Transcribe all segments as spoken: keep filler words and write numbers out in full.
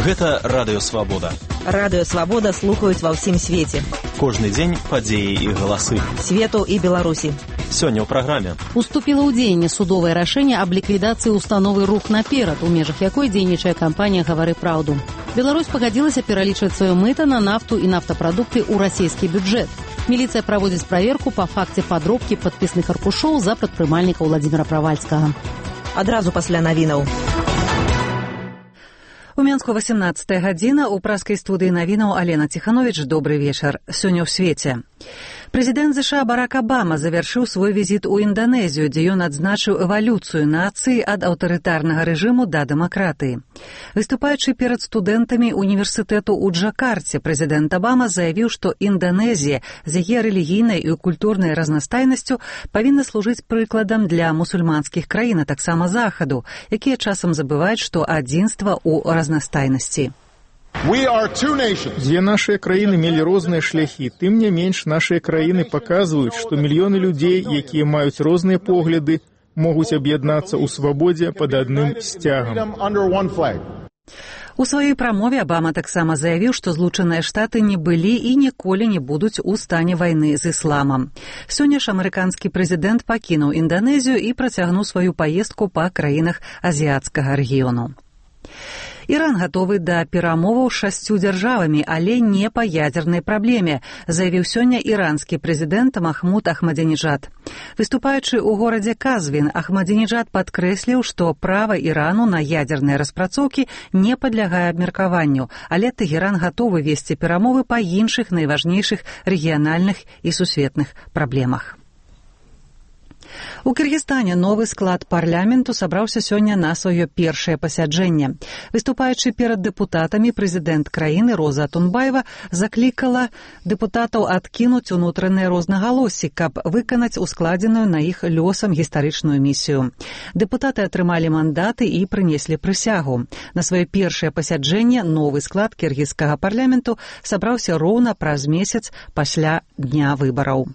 Гэта Радыё Свабода. Радыё Свабода слухаюць ва ўсім свеце. Кожны дзень падзеі і галасы. Свету і Беларусі. Сёння ў праграме. Уступіла ў дзеянне судовае рашэнне аб ліквідацыі установы «Рух наперад», у межах якой дзейнічае кампанія «Гавары праўду». Беларусь пагадзілася пералічваць сваё мыта на нафту і нафтапрадукты ў расійскі бюджэт. Міліцыя праводзіць праверку па факце падробкі падпісных аркушоў за прадпрымальніка Владзіміра Правальскага. Адразу пасля навінаў. У Менску васямнаццатая гадзіна, у праскай студыі навінаў Алена Ціхановіч. Добры вечар. Сёння ў свеце. Прэзідэнт ЗША Барак Абама завяршыў свой візіт у Інданезію, дзе ён адзначыў эвалюцыю нацыі ад аўтарытарнага рэжыму да дэмакратыі. Выступаючы перад студэнтамі універсітэту ў Джакарце, прэзідэнт Абама заявіў, што Інданезія з яе рэлігійнай і культурнай разнастайнасцю павінна служыць прыкладам для мусульманскіх краін, а таксама Захаду, якія часам забываюць, што адзінства ў разнастайнасці. Дзве нашыя краіны мелі розныя шляхі, тым не менш нашыя краіны паказваюць, што мільёны людзей, якія маюць розныя погляды, могуць аб'яднацца ў свабодзе пад адным сцягам. У сваёй прамове Абама таксама заявіў, што Злучаныя Штаты не былі і ніколі не будуць у стане вайны з ісламам. Сёння ж амерыканскі прэзідэнт пакінуў Інданезію і працягнуў сваю паездку па краінах азіяцкага рэгіёну. Іран гатовы да перамоваў з шасцю дзяржавамі, але не па ядзернай праблеме, заявіў сёння іранскі прэзідэнт Махмуд Ахмадзінеджад. Выступаючы ў горадзе Казвін, Ахмадзінеджад падкрэсліў, што права Ірану на ядзерныя распрацоўкі не падлягае абмеркаванню, але Тэгеран гатовы весці перамовы па іншых найважнейшых рэгіянальных і сусветных праблемах. У Кыргызстане новы склад парламенту сабраўся сёння на сваё першае пасяджэнне. Выступаючы перад дэпутатамі, прэзідэнт краіны Роза Атунбаева заклікала дэпутатаў адкінуць унутраныя рознагалоссі, каб выканаць ускладзеную на іх лёсам гістарычную місію. Дэпутаты атрымалі мандаты і прынеслі прысягу. На сваё першае пасяджэнне новы склад кіргізскага парламенту сабраўся роўна праз месяц пасля дня выбараў.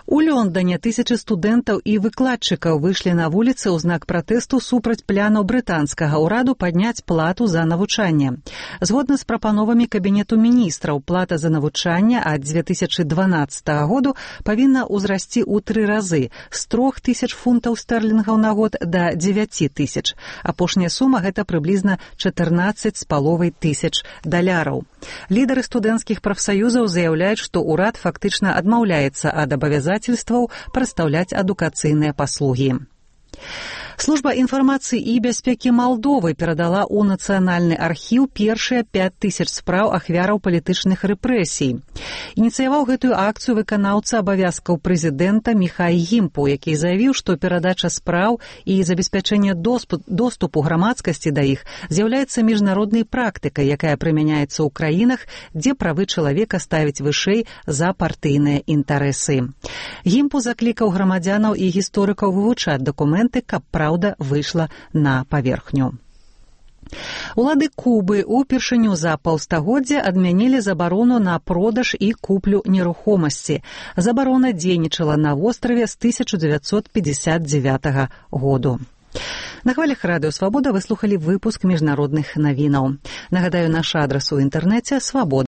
У Лондоне тысячы студэнтаў і выкладчыкаў выйшлі на вуліцы ў знак пратэсту супраць планаў брытанскага ўраду падняць плату за навучанне. Згодна з прапановамі Кабінету міністраў, плата за навучанне ад дзве тысячы дванаццатага году павінна ўзрасці ў тры разы з трох тысяч фунтаў стэрлінгаў на год да дзевяці тысяч. Апошняя сума гэта прыблізна чатырнаццаць з паловай тысяч даляраў. Лідары студэнцкіх прафсаюзаў заяўляюць, што ўрад фактычна адмаўляецца ад абавязацельстваў прадстаўляць адукацыйныя паслугі. Служба інфармацыі і бяспекі Малдовы перадала ў Нацыянальны архіў першыя пяць тысяч спраў ахвяраў палітычных рэпрэсій. Ініцыяваў гэтую акцыю выканаўца абавязкаў прэзідэнта Міхай Гімпу, які заявіў, што перадача спраў і забеспячэнне доступу грамадскасці да іх з'яўляецца міжнароднай практыкай, якая прымяняецца ў краінах, дзе правы чалавека ставяць вышэй за партыйныя інтарэсы. Гімпу заклікаў грамадзянаў і гісторыкаў вывучаць дакументы, каб праўда выйшла на паверхню. Улады Кубы ўпершыню за паўстагоддзя адмянілі забарону на продаж і куплю нерухомасці. Забарона дзейнічала на востраве з тысяча дзевяцьсот пятьдесят девятага году. На хвалях Радыё Свабода вы слухалі выпуск міжнародных навінаў. Нагадаю, наш адрас у інтэрнэце свабода.